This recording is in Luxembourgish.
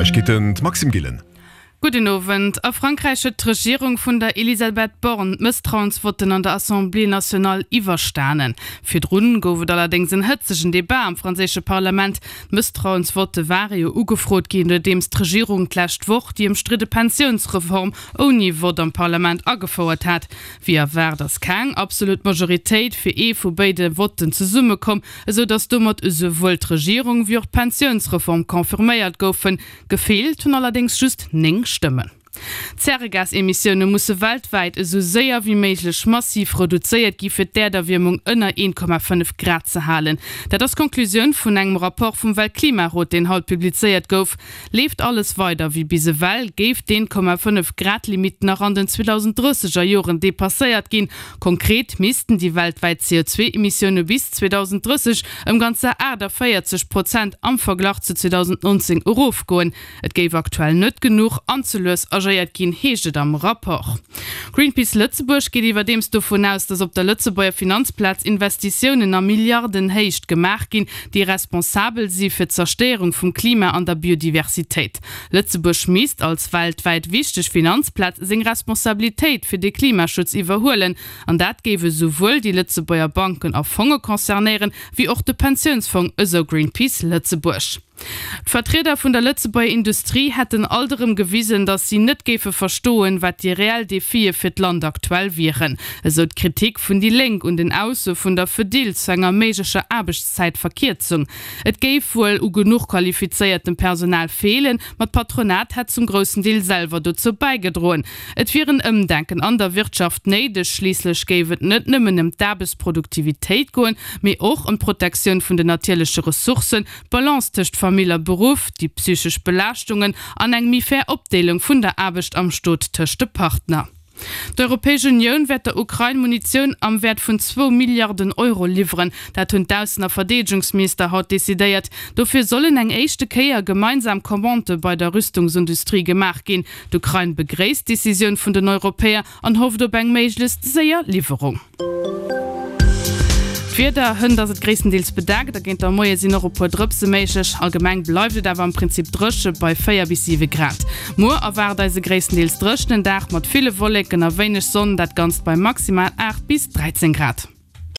Neiegkeeten, d'Maxime Gillen. Gudden Owend. A Frankräich huet d'Regierung vun der Elisabeth Borne d'Mësstrauensvotten an der Assemblée nationale iwwerstanen. Virdrun gouf et allerdéngs en hëtzegen Debat am franséische Parlament. D'Mësstrauensvotte ware jo ugefrot ginn, nodeems d'Regierung d'lescht Woch déi ëmstridde Pensiounsreform ouni Vott am Parlament agefouert hat. Wéi erwaart ass keng absolut Majoritéit fir ee vu béide Votten zesummekomm, esou datt domat esouwuel d'Regierung wéi och d'Pensiounsreform confirméiert goufen. Gefeelt hunn allerdéngs just 9 Stëmmen. D'Zäregasemissioune musse weltwäit esou séier wéi méiglech massiv reduzéiert gi fir d'Äerderwiermung ënner 1,5 Grad ze halen. Dat ass d'Konklusioun vun engem Rapport vum Weltklimarot, deen haut publizéiert gouf. Leeft alles weider wéi bis ewell, géif d'Eent-Komma-fënnef Grad-Limitt nach an den 2030 er Joren depasséiert ginn. Konkret missten déi weltwäit CO2-Emissioune bis 2030 ëm ganzer 48 Prozent am Verglach zu 2019 erofgoen. Et géif aktuell net genuch an ze lues agéiert ginn, heescht et am Rapport. Greenpeace Lëtzebuerg geet iwwerdeems dovun aus, datt op der Lëtzebuerger Finanzplaz Investitiounen a Milliardenhéicht gemaach ginn, déi responsabel si fir d'Zerstéierung vum Klima an der Biodiversitéit. Lëtzebuerg misst als weltwäit wichteg Finanzplaz seng Responsabilitéit fir de Klimaschutz iwwerhuelen. An dat géif esouwuel déi Lëtzebuerger Banken a Fonge concernéieren, wéi och de Pensiounsfong, esou Greenpeace Lëtzebuerg. D'Vertrieder vun der Lëtzebuerger Industrie hätten alt erëm gewisen, datt si net géife verstoen, wat déi reell Defie fir d'Land aktuell wieren, esou d'Kritik vun déi Lénk un den Ausso vun der Fedil zu enger méiglecher Aarbechtszäitverkierzung. Et géif wuel u genuch qualifizéiertem Personal feelen, ma d'Patronat hätt zum groussen Deel selwer dozou bäigedroen. Et wier en Ëmdenken an der Wirtschaft néideg, schliisslech géif et net nëmmen ëm d'Aarbechtsproduktivitéit goen, mee och ëm d'Protektioun vun den natierleche Ressourcen, d'Balance tëscht Famill a Beruff, déi psychesch Belaaschtungen an eng méi fair Opdeelung vun der Aarbecht am Stot tëscht de Partner. D'Europäesch Unioun wäert der Ukrain Munitioun am Wäert vun zwou Milliarden Euro liwweren. Dat hunn d'Aussen a Verdeedegungsminister haut decidéiert. Dofir sollen eng éischte Kéier gemeinsam Commandë bei der Rüstungsindustrie gemaach ginn. D'Ukrain begréisst d'Decisioun vun den Europäer an hofft op eng méiglechst séier Liwwerung. D'Wieder, Hënt ass et gréisstendeels bedeckt a géint der Moie sinn och e puer Drëpse méiglech. Allgemeng bleift et awer am Prinzip dréche bei 4 bis 7 Grad. Muer erwaart eis e gréisstendeels dréchenen Dag mat ville Wolleken a wéineg Sonn, dat Ganzt bei maximal 8 bis 13 Grad.